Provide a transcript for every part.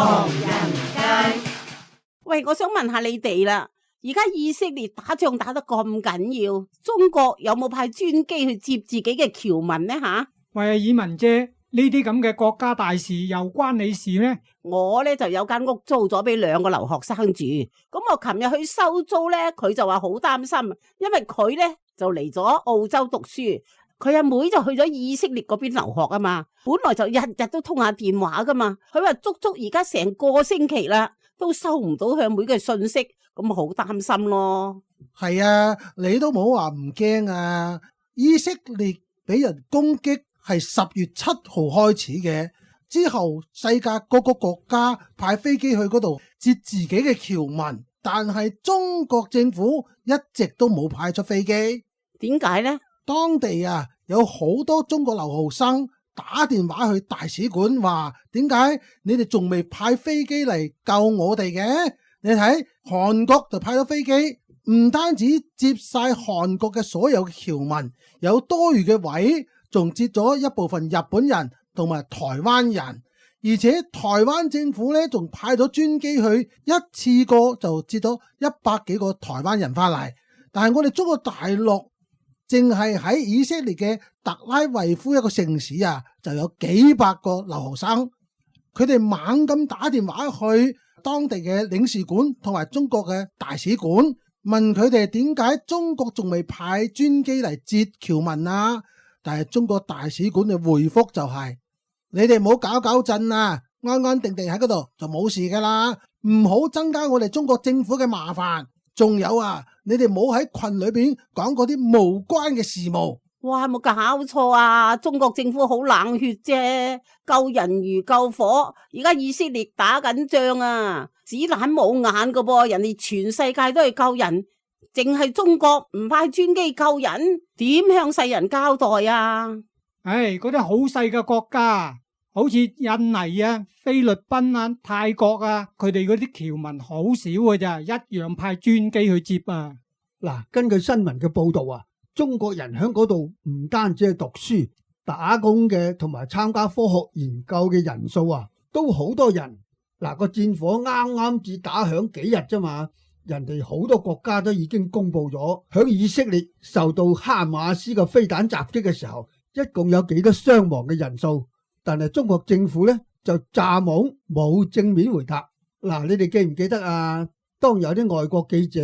唐人街。喂，我想問下你哋啦，而家以色列打仗打得咁緊要，中國有冇派專機去接自己嘅僑民呢？喂，以文姐，呢啲咁嘅國家大事又關你事咩？我呢就有間屋租咗俾2個留學生住，咁我琴日去收租呢，佢就話好擔心，因為佢呢就嚟咗澳洲讀書，佢阿妹就去咗以色列嗰邊留學啊嘛，本來就日日都通下電話噶嘛，佢話足足而家成個星期啦，都收唔到佢阿妹嘅信息，咁好擔心咯。係啊，你都冇話唔驚啊！以色列俾人攻擊係10月7號開始嘅，之後世界各個國家派飛機去嗰度接自己嘅僑民，但係中國政府一直都冇派出飛機。點解呢？當地啊有好多中國留學生打電話去大使館話，點解你哋仲未派飛機嚟救我哋嘅？你睇韓國就派咗飛機，唔單止接晒韓國嘅所有僑民，有多餘嘅位，仲接咗一部分日本人同埋台灣人，而且台灣政府呢仲派咗專機去，一次過就接咗100幾個台灣人翻嚟。但係我哋中國大陸淨係喺以色列嘅特拉維夫一個城市啊，就有幾百個留學生，佢哋猛咁打電話去當地嘅領事館同埋中國嘅大使館，問佢哋點解中國仲未派專機嚟接僑民啊？但係中國大使館嘅回覆就係，你哋唔好搞震啊，安安定定喺嗰度就冇事噶啦，唔好增加我哋中國政府嘅麻煩。仲有啊，你哋唔好喺群裏邊講嗰啲無關嘅事務。哇，冇搞錯啊！中國政府好冷血啫，救人如救火。而家以色列打緊仗啊，子彈冇眼噶噃，人哋全世界都係救人，淨係中國唔派專機救人，點向世人交代啊？唉，嗰啲好細嘅國家，好似印尼啊、菲律賓啊、泰國啊，佢哋嗰啲僑民好少嘅咋，一樣派專機去接啊。嗱，根據新聞嘅報道啊，中國人喺嗰度唔單止係讀書、打工嘅，同埋參加科學研究嘅人數啊，都好多人。嗱，個戰火啱啱至打響幾日啫嘛，人哋好多國家都已經公布咗，響以色列受到哈馬斯嘅飛彈襲擊嘅時候，一共有幾多傷亡嘅人數。但係中國政府呢，就詐懵冇正面回答。嗱，你哋記唔記得啊？當有啲外國記者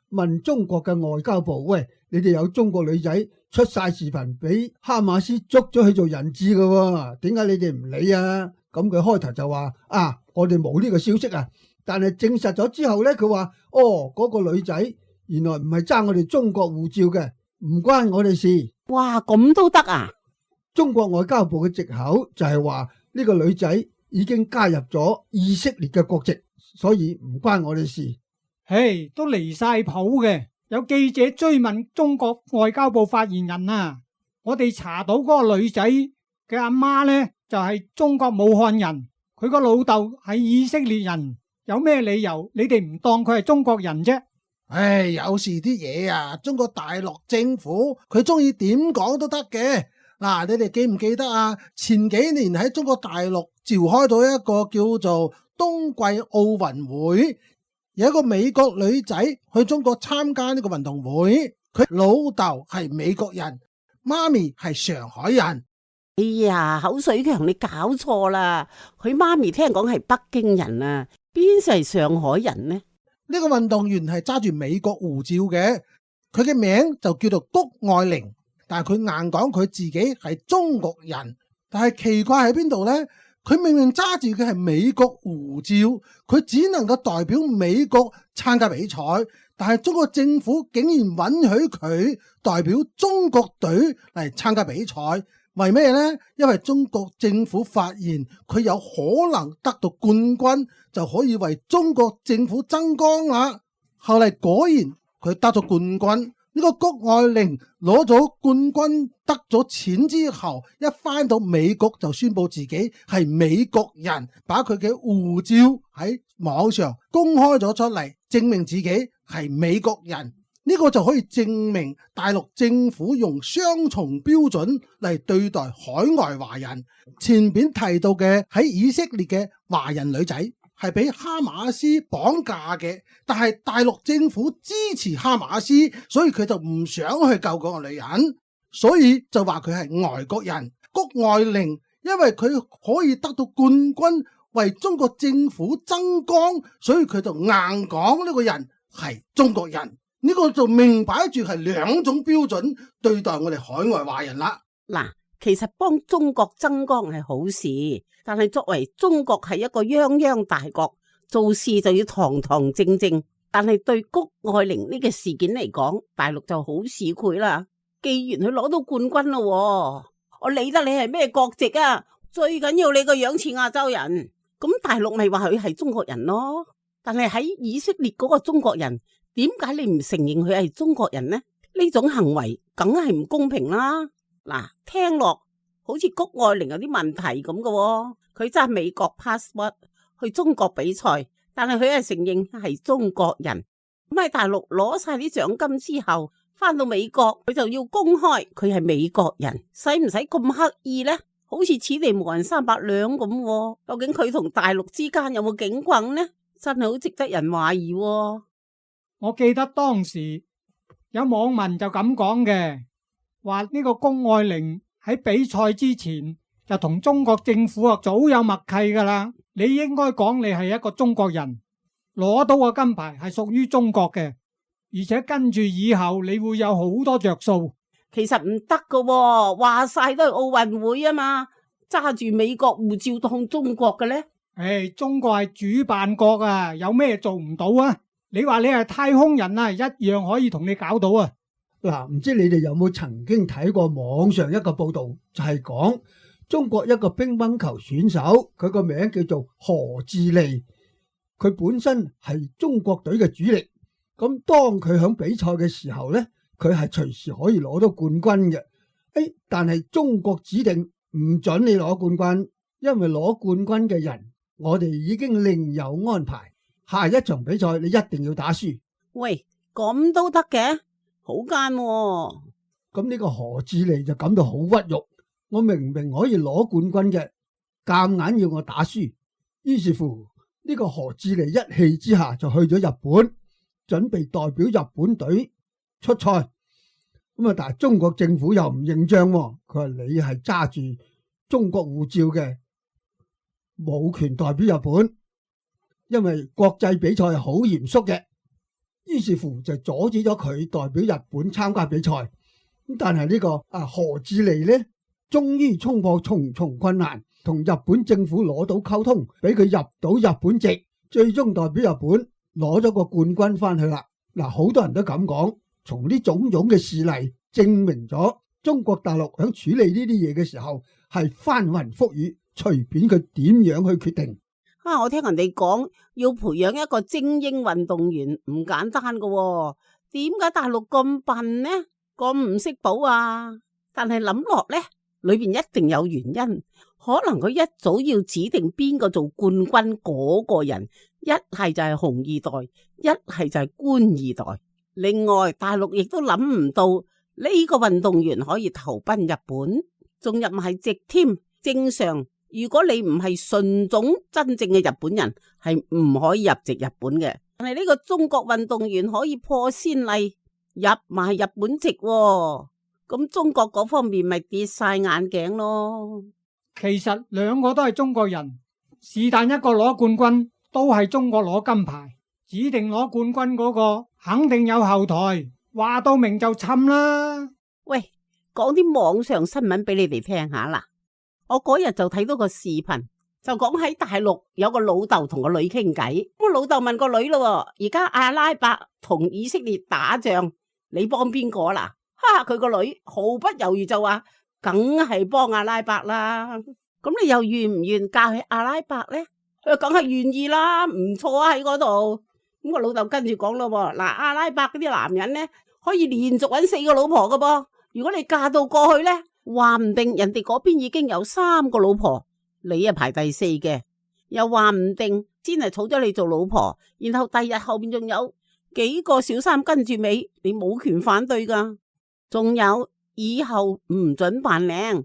問中國嘅外交部，喂，你哋有中國女仔出晒視頻俾哈馬斯捉咗去做人質㗎，點解你哋唔理啊？咁佢開頭就話啊，我哋冇呢個消息啊。但係證實咗之後呢，佢話嗰個女仔原來唔係爭我哋中國護照嘅，唔關我哋事。哇，咁都得啊？中國外交部嘅藉口就係話呢個女仔已經加入咗以色列嘅國籍，所以唔關我哋事。嘿，都離晒譜嘅。有記者追問中國外交部發言人啊，我哋查到嗰個女仔嘅阿媽呢，就係中國武漢人，佢個老豆係以色列人，有咩理由你哋唔當佢係中國人啫？唉，有時啲嘢啊，中國大陸政府佢中意點講都得嘅。嗱，你哋記唔記得啊？前幾年喺中國大陸召開到一個叫做冬季奧運會，有一個美國女仔去中國參加呢個運動會，佢老豆係美國人，媽咪係上海人。哎呀，口水強，你搞錯啦！佢媽咪聽講係北京人啊，邊係上海人呢？呢個運動員係揸住美國護照嘅，佢嘅名就叫做谷愛凌。但係佢硬講佢自己係中國人，但係奇怪喺邊度呢？佢明明揸住嘅係美國護照，佢只能夠代表美國參加比賽，但係中國政府竟然允許佢代表中國隊嚟參加比賽，為咩呢？因為中國政府發現佢有可能得到冠軍，就可以為中國政府爭光啦。後嚟果然佢得咗冠軍。呢個谷愛凌攞咗冠軍得咗錢之後，一返到美國就宣布自己係美國人，把佢嘅護照喺網上公開咗出嚟，證明自己係美國人。呢個就可以證明大陸政府用雙重標準嚟對待海外華人。前邊提到嘅喺以色列嘅華人女仔，係俾哈馬斯綁架嘅，但係大陸政府支持哈馬斯，所以佢就唔想去救嗰個女人，所以就話佢係外國人。谷愛凌因為佢可以得到冠軍，為中國政府爭光，所以佢就硬講呢個人係中國人。呢個就明擺住係兩種標準對待我哋海外華人啦。嗱，其實幫中國爭光係好事，但係作為中國係一個泱泱大國，做事就要堂堂正正。但係對谷愛凌呢個事件嚟講，大陸就好市儈啦。既然佢攞到冠軍咯，我理得你係咩國籍啊？最緊要你個樣似亞洲人，咁大陸咪話佢係中國人咯。但係喺以色列嗰個中國人，點解你唔承認佢係中國人呢？呢種行為梗係唔公平啦。嗱，聽落好似谷愛凌有啲問題咁嘅，佢揸美國 passport 去中國比賽，但係佢係承認係中國人。咁喺大陸攞晒啲獎金之後，翻到美國佢就要公開佢係美國人，使唔使咁刻意呢？好似此地無銀三百兩咁，究竟佢同大陸之間有冇警棍呢？真係好值得人懷疑。我記得當時有網民就咁講嘅，話呢個谷愛凌喺比賽之前就同中國政府早有默契噶啦，你應該講你係一個中國人，攞到個金牌係屬於中國嘅，而且跟住以後你會有好多着數。其實唔得噶，話晒都係奧運會啊嘛，揸住美國護照當中國嘅呢？中國係主辦國啊，有咩做唔到啊？你話你係太空人啊，一樣可以同你搞到啊！嗱，唔知你哋有冇曾經睇過網上一個報道，就係講中國一個乒乓球選手，佢個名叫做何智利，佢本身係中國隊嘅主力。咁當佢響比賽嘅時候呢，佢係隨時可以攞到冠軍嘅。但係中國指定唔准你攞冠軍，因為攞冠軍嘅人，我哋已經另有安排。下一場比賽你一定要打輸。喂，咁都得嘅？好奸喎！咁呢個何智利就感到好屈辱，我明明可以攞冠軍嘅，夾硬要我打輸。於是乎呢個何智利一氣之下就去咗日本，準備代表日本隊出賽。咁啊，但係中國政府又唔認賬，佢話你係揸住中國護照嘅，冇權代表日本。因為國際比賽係好嚴肅嘅，於是乎就阻止咗佢代表日本參加比賽。但係呢個何智利呢，終於衝破重重困難，同日本政府攞到溝通，俾佢入到日本籍，最終代表日本攞咗個冠軍翻去啦。嗱，好多人都咁講，從呢種種嘅事例證明咗中國大陸喺處理呢啲嘢嘅時候係翻雲覆雨，隨便佢點樣去決定。我聽人哋講要培養一個精英運動員唔簡單噶，點解大陸咁笨呢？咁唔識補啊？但係諗落呢，裏邊一定有原因，可能佢一早要指定邊個做冠軍嗰個人，一係就係紅二代，一係就係官二代。另外，大陸亦都諗唔到呢個運動員可以投奔日本，仲入埋籍添。正常。如果你唔係純種真正嘅日本人，係唔可以入籍日本嘅。但係呢個中國運動員可以破先例入埋日本籍，咁中國嗰方面咪跌晒眼鏡咯。其實兩個都係中國人，是但一個攞冠軍都係中國攞金牌，指定攞冠軍嗰個肯定有後台，話到明就侵啦。喂，講啲網上新聞俾你哋聽下啦。我嗰日就睇到個視頻，就講喺大陸有個老豆同個女傾偈。咁老豆問個女咯，而家阿拉伯同以色列打仗，你幫邊個啦？佢個女毫不猶豫就話，梗係幫阿拉伯啦。咁你又願唔願嫁去阿拉伯呢？佢梗係願意啦，唔錯啊喺嗰度。咁個老豆跟住講咯，嗱，阿拉伯嗰啲男人呢，可以連續搵4個老婆噶噃。如果你嫁到過去呢，話唔定人哋嗰邊已經有3個老婆，你啊排第4嘅，又話唔定先係娶咗你做老婆，然後第日後邊仲有幾個小三跟住尾，你冇權反對噶。仲有以後唔准扮靚，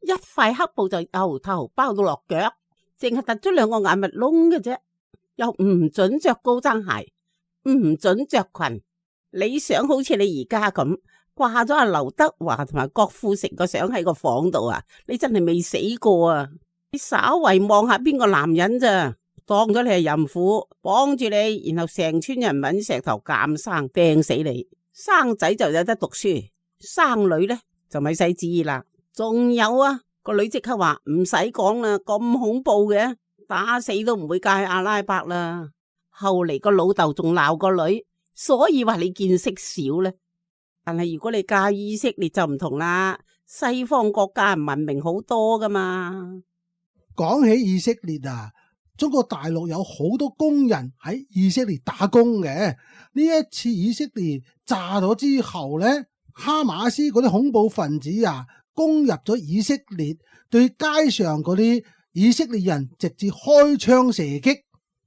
一塊黑布就由頭包到落腳，淨係突出2個眼蜜窿嘅啫。又唔准着高踭鞋，唔准着裙。你想好似你而家咁掛咗阿劉德華同埋郭富城個相喺個房度啊？你真係未死過啊！你稍為望下邊個男人咋，當咗你係淫婦，綁住你，然後成村人揾石頭鑑生掟死你。生仔就有得讀書，生女呢就咪使旨意啦。仲有啊，個女即刻話唔使講啦，咁恐怖嘅，打死都唔會嫁去阿拉伯啦。後嚟個老豆仲鬧個女，所以話你見識少呢。但係如果你嫁以色列就唔同啦，西方國家文明好多噶嘛。講起以色列啊，中國大陸有好多工人喺以色列打工嘅。呢一次以色列炸咗之後呢，哈馬斯嗰啲恐怖分子啊，攻入咗以色列，對街上嗰啲以色列人直接開槍射擊。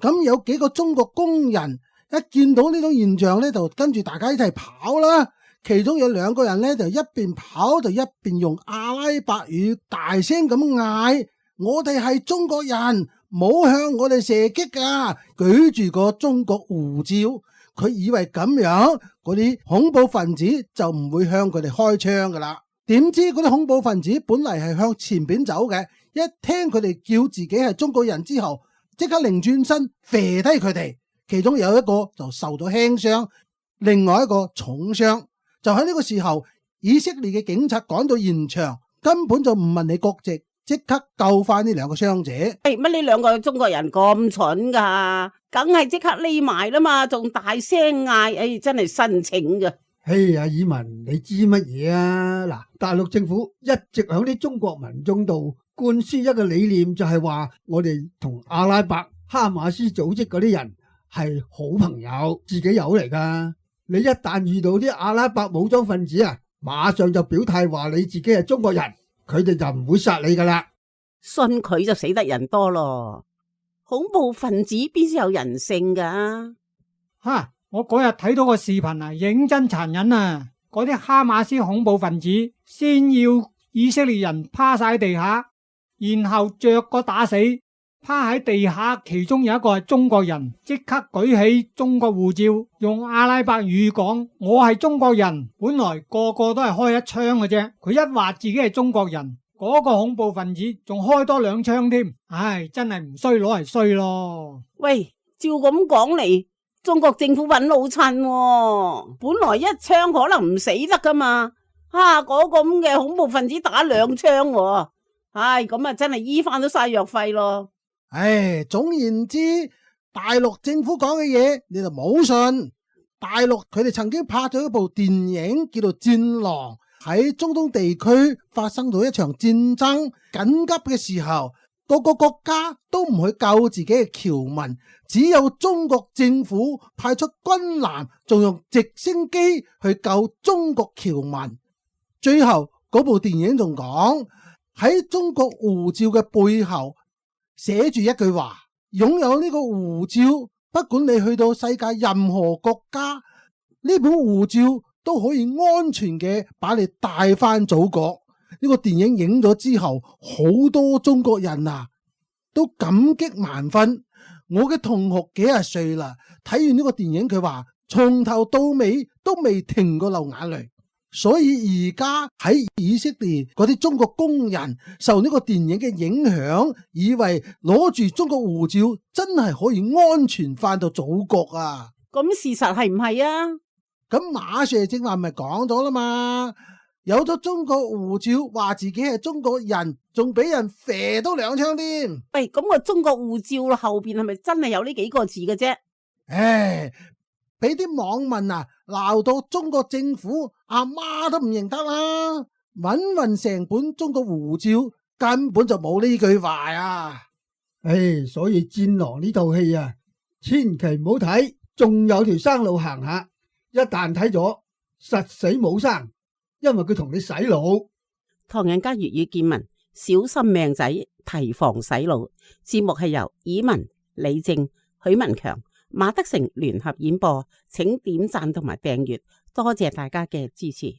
咁有幾個中國工人一見到呢種現象呢，就跟住大家一齊跑啦。其中有2個人呢，就一邊跑就一邊用阿拉伯語大聲咁嗌：我哋係中國人，唔好向我哋射擊啊！舉住個中國護照，佢以為咁樣嗰啲恐怖分子就唔會向佢哋開槍噶啦。點知嗰啲恐怖分子本嚟係向前邊走嘅，一聽佢哋叫自己係中國人之後，即刻擰轉身射低佢哋。其中有一個就受咗輕傷，另外一個重傷。就喺呢個時候，以色列嘅警察趕到現場，根本就唔問你國籍，即刻救翻呢2個傷者。乜呢2個中國人咁蠢噶？梗係即刻匿埋啦嘛，仲大聲嗌，真係申請噶。嘿，阿以文，你知乜嘢啊？嗱，大陸政府一直響啲中國民眾度灌輸一個理念，就係話我哋同阿拉伯哈馬斯組織嗰啲人係好朋友，自己友嚟噶。你一旦遇到啲阿拉伯武裝分子啊，馬上就表態話你自己係中國人，佢哋就唔會殺你噶啦。信佢就死得人多咯，恐怖分子邊先有人性噶？我嗰日睇到個視頻啊，認真殘忍啊！嗰啲哈馬斯恐怖分子先要以色列人趴晒地下，然後着個打死。趴喺地下，其中有一個係中國人，即刻舉起中國護照，用阿拉伯語講：我係中國人。本來個個都係開一槍嘅啫，佢一話自己係中國人，嗰個恐怖分子仲開多2槍添。唉，真係唔衰攞嚟衰咯。喂，照咁講嚟，中國政府揾老襯喎，本來1槍可能唔死得噶嘛，嗰個咁嘅恐怖分子打2槍喎，唉，咁啊真係醫翻都晒藥費咯。總言之，大陸政府講嘅嘢你就冇信。大陸佢哋曾經拍咗一部電影叫做《戰狼》，喺中東地區發生咗一場戰爭，緊急嘅時候，各個國家都唔去救自己嘅僑民，只有中國政府派出軍艦，仲用直升機去救中國僑民。最後嗰部電影仲講，喺中國護照嘅背後寫住一句話：擁有呢個護照，不管你去到世界任何國家，呢本護照都可以安全嘅把你帶翻祖國。呢個電影影咗之後，好多中國人啊都感激萬分。我嘅同學幾廿歲啦，睇完呢個電影，佢話從頭到尾都未停過流眼淚。所以而家喺以色列嗰啲中國工人受呢個電影嘅影響，以為攞住中國護照真係可以安全翻到祖國啊！咁事實係唔係啊？咁馬 Sir 正話咪講咗啦嘛，有咗中國護照，話自己係中國人，仲俾人射多2槍添。喂，咁個中國護照後邊係咪真係有呢幾個字嘅啫？俾啲網民啊鬧到中國政府阿媽都唔認得啦，搵成本中國護照根本就冇呢句話啊！所以戰狼呢套戲啊，千祈唔好睇，仲有條生路行下。一旦睇咗，實死冇生，因為佢同你洗腦。唐人街粵語見聞，小心命仔，提防洗腦。節目係由以文、李正、許文強、馬德成聯合演播，請點讚同埋訂閱，多謝大家嘅支持。